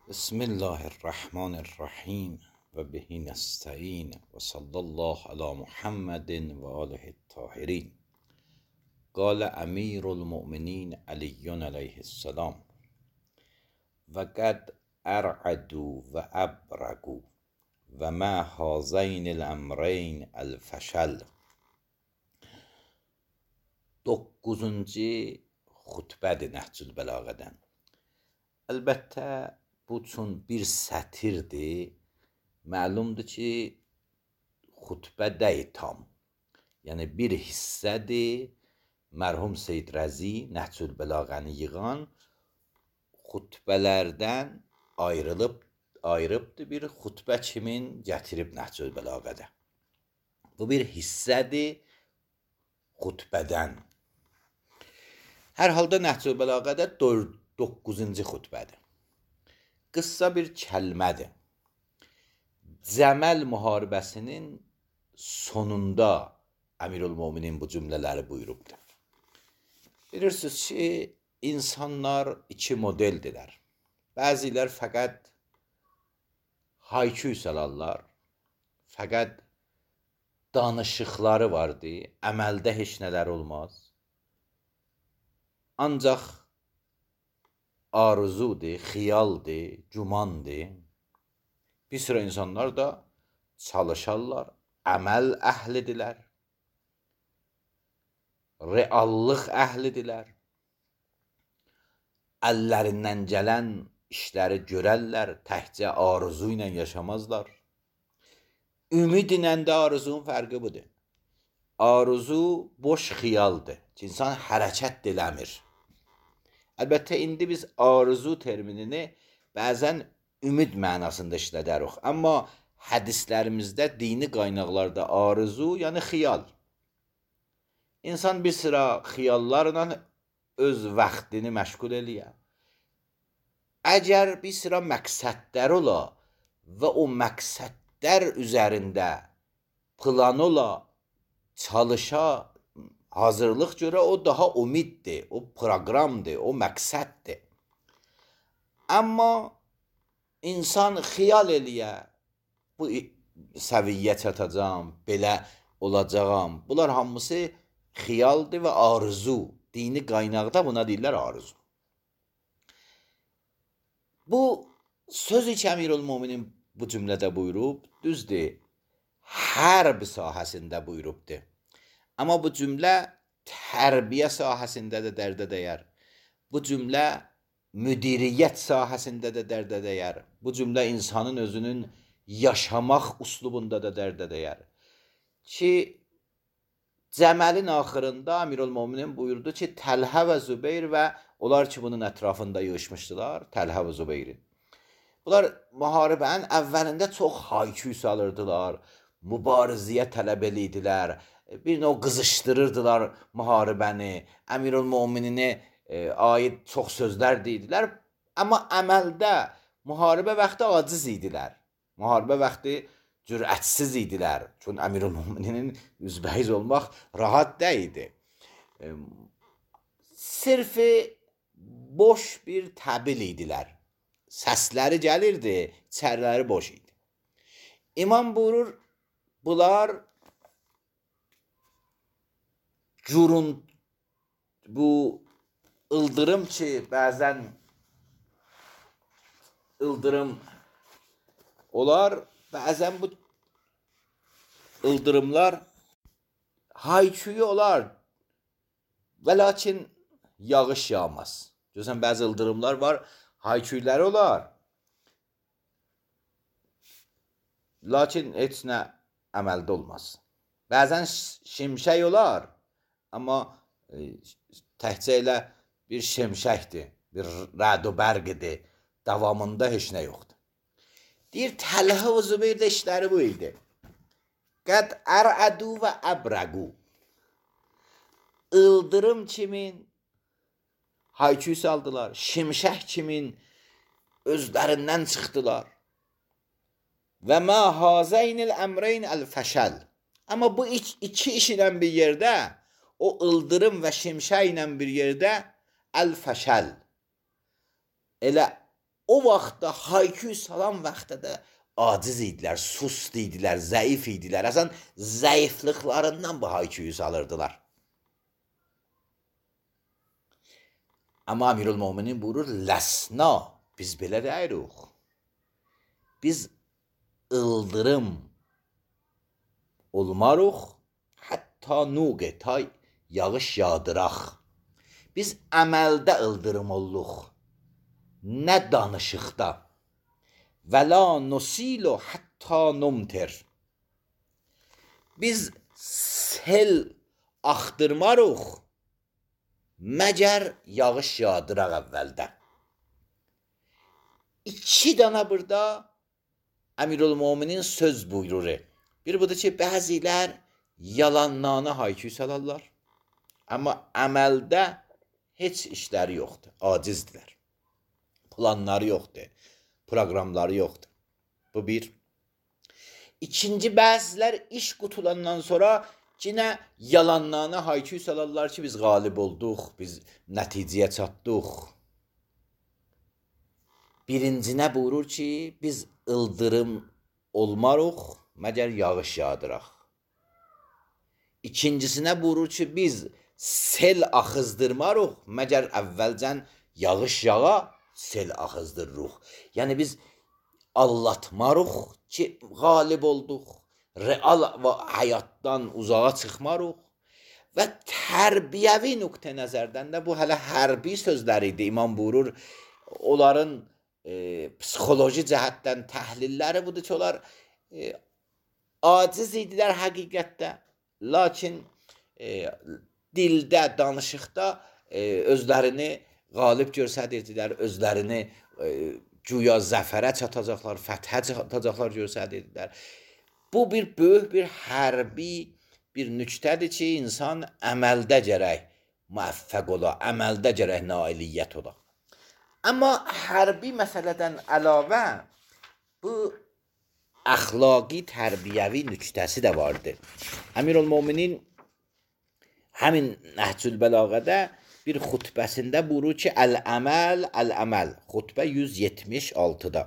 بسم الله الرحمن الرحیم و به نستعین و صلی الله علی محمد و آله الطاهرین. قال امیر المؤمنین علی علیه السلام و قد ارعدوا و ابرگوا و ما هذین الامرین الفشل. 9-cu xutbədir Nəhcül Bəlağədən. Əlbəttə bu üçün bir sətirdir. Məlumdur ki, xutbə deyil tam. Yəni bir hissədir. Mərhum Seyyid Rəzi Nəhcül Bəlağəni yığan xutbələrdən ayrıbdır bir xutbə kimin gətirib Nəhcül Bəlağədə. Bu bir hissədir xutbədən. Hər halda Nəhcül Bəlağədə 9-cu xutbədir. Qıssa bir kəlmədir. Cəməl müharibəsinin sonunda Əmirülmöminin bu cümlələri buyurubdur. Bilirsiniz ki, insanlar iki modeldirlər. Bəzilər fəqət hayküy salarlar, fəqət danışıqları vardır, əməldə heç nələr olmaz. Ancaq arzudur, xiyaldır, gümandır. Bir sıra insanlar da çalışarlar, əməl əhlidirlər, reallıq əhlidirlər. Əllərindən gələn işləri görərlər, təkcə arzu ilə yaşamazlar. Ümid ilə də arzunun fərqi budur. Arzu boş xiyaldır ki, insan hərəkət eləmir. Əlbəttə, indi biz arzu terminini bəzən ümid mənasında işlədərik. Amma hədislərimizdə, dini qaynaqlarda arzu, yəni xiyal. İnsan bir sıra xiyallarla öz vaxtını məşğul eləyə. Əgər bir sıra məqsədlər ola və o məqsədlər üzərində plan ola, çalışa, hazırlıq görə, o daha umiddir, o proqramdır, o məqsəddir. Amma insan xiyal eləyə, bu səviyyə çatacam, belə olacağam. Bunlar hamısı xiyaldır və arzu. Dini qaynaqda buna deyirlər arzu. Bu sözü ki, Əmirülmöminin bu cümlədə buyurub, düzdür, hərb sahəsində buyurubdur. Amma bu cümlə tərbiyə sahəsində də dərdə dəyər. Bu cümlə müdiriyyət sahəsində də dərdə dəyər. Bu cümlə insanın özünün yaşamaq üslubunda da dərdə dəyər. Ki, Cəməlin axırında Əmirülmöminin buyurdu ki, Təlhə və Zübeyir və onlar ki, bunun ətrafında yığışmışdılar, Təlhə və Zübeyri. Bunlar müharibənin əvvəlində çox hayküy salırdılar, mübarizəyə tələb edirdilər, bir növ qızışdırırdılar müharibəni, Əmirülmömininə aid çox sözlər deyildilər. Amma əməldə müharibə vaxtı aciz idilər. Müharibə vaxtı cürətsiz idilər. Çünki Əmirülmöminin üzbəyiz olmaq rahat deyildi. Sırf boş bir təbil idilər. Səsləri gəlirdi, içəriləri boş idi. İmam buyurur, bunlar bu ıldırım ki, bəzən ıldırım olar, bəzən bu ıldırımlar hayküyü olar və lakin yağış yağmaz. Görürsən, bəzi ıldırımlar var, hayküyləri olar, lakin heç nə əməldə olmaz. Bəzən şimşək olar, amma təhcə elə bir şimşəkdir, bir rəd-u bərqidir, davamında heç nə yoxdur. Deyir, Təlhə və Zübeyirdə işləri bu idi. Qəd ərədu və əbrəqu. İldırım kimin hayküy saldılar, şimşək kimin özlərindən çıxdılar. Və mə hazəynil əmreyn əl-fəşəl. Amma bu iki iş ilə bir yerdə, o ıldırım və şimşək ilə bir yerdə əl-fəşəl. Elə o vaxtda hayküy salan vaxtda da aciz idilər, sust idilər, zəif idilər. Əsən zəifliklərindən bu hayküyü salırdılar. Amma Əmirülmöminin buyurur, ləsna, biz belə deyirik. Biz ıldırım olmarıq, hətta nuqe, ta yağış yağdıraq. Biz əməldə ıldırım olluq, nə danışıqda. Və la nusilu hətta numtir. Biz sel axtırmarıq, məgər yağış yağdıraq əvvəldə. İki dana burada Əmirülmöminin söz buyurur. Bir budur ki, bəzilər yalanlarına hayküy salarlar. Amma əməldə heç işləri yoxdur, acizdirlər. Planları yoxdur, proqramları yoxdur. Bu bir. İkinci, bəzilər iş qutulandan sonra yine yalanlarına hayküy salarlar ki, biz qalib olduq, biz nəticəyə çatdıq. Birincinə buyurur ki, biz ıldırım olmarıq, məgər yağış yağdıraq. İkincisinə buyurur ki, biz sel axızdırmarıq, məgər əvvəlcən yağış yağa, sel axızdırırıq. Yəni biz allatmarıq ki, qalib olduq. Real və həyatdan uzağa çıxmarıq. Və tərbiyəvi nöqtə nəzərdən də bu hələ hərbi sözləri idi. İmam buyurur, onların psixoloji cəhətdən təhlilləri budur ki, onlar aciz idilər həqiqətdə. Lakin dildə, danışıqda özlərini qalib göstərirdilər, özlərini güya zəfərə çatacaqlar, fəthə çatacaqlar göstərirdilər. Bu bir böyük bir hərbi bir nüktədir ki, insan əməldə gərək müvəffəq ola, əməldə gərək nailiyyət ola. Amma hərbi məsələdən əlavə bu əxlaqi, tərbiyəvi nüktəsi də vardır. Əmirülmöminin həmin Nəhcül Bəlağədə bir xutbəsində buyurur ki, əl-əməl, əl-əməl. Xutbə 176-da.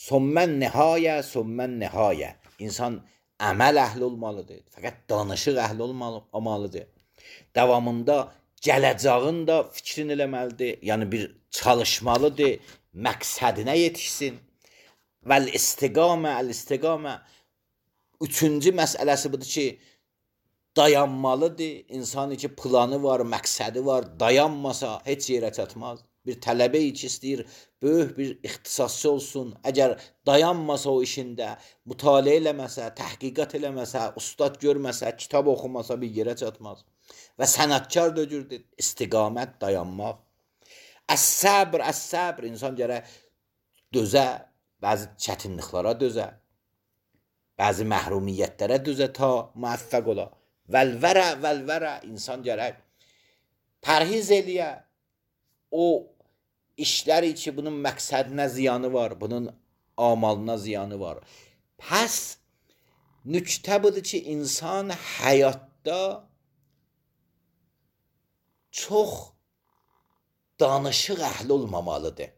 Sommən nihayə, sommən nihayə. İnsan əməl əhli olmalıdır. Fəqət danışıq əhli olmalıdır. Davamında gələcəğin də fikrin eləməlidir. Yəni bir çalışmalıdır, məqsədinə yetişsin. Vəl-istiqamə, əl-istiqamə. Üçüncü məsələsi budur ki, dayanmalıdır. İnsanın ki, planı var, məqsədi var. Dayanmasa heç yerə çatmaz. Bir tələbə ki, istəyir, böyük bir ixtisasçı olsun. Əgər dayanmasa o işində, mütaliə eləməsə, təhqiqat eləməsə, ustad görməsə, kitab oxumasa bir yerə çatmaz. Və sənətkar dögürdür, istiqamət, dayanmaq. Əs-səbr, əs-səbr. İnsan gərək dözə, bəzi çətinliklərə dözə, bəzi məhrumiyyətlərə dözə ta müvəffəq ola. Vəl-vərə, vəl-vərə. İnsan gərək pərhiz eləyə. O işlər ki, bunun məqsədinə ziyanı var, bunun amalına ziyanı var. Pəs nüktə budur ki, insan həyatda çox danışıq əhli olmamalıdır.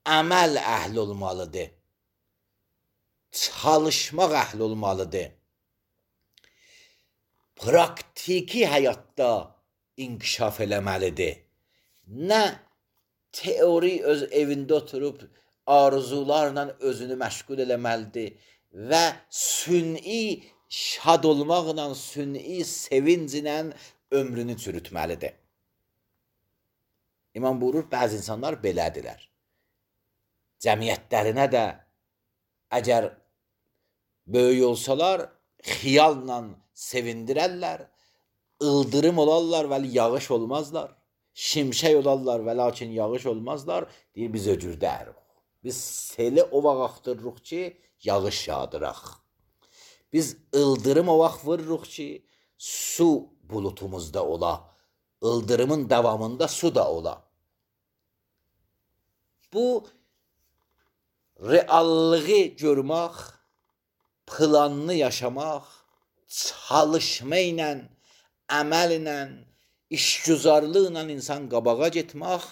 Əməl əhli olmalıdır. Çalışmaq əhli olmalıdır. Praktiki həyatda inkişaf eləməlidir. Nə teori öz evində oturub arzularla özünü məşğul eləməlidir və sünni şad olmaqla, sünni sevinclə ömrünü çürütməlidir. İmam buyurur, bəzi insanlar belədirlər. Cəmiyyətlərinə də əgər böyük olsalar, xiyalla sevindirərlər, ıldırım olarlar və yağış olmazlar. Şimşək olarlar və lakin yağış olmazlar. Deyir, biz öcürdərik. Biz seli o vaxt axtırırıq ki, yağış yağdıraq. Biz ıldırım o vaxt vururuq ki, su bulutumuzda ola. Ildırımın davamında su da ola. Bu reallığı görmək, planını yaşamaq, çalışma ilə, əməl ilə, işgüzarlıqla insan qabağa getmək,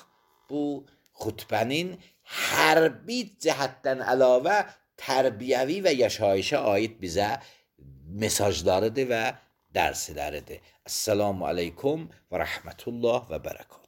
bu xutbənin hərbi cəhətdən əlavə tərbiyəvi və yaşayışa aid bizə mesajlarıdır və dərsləridir. Esselamu aleykum və rəhmətullah və bərəkət.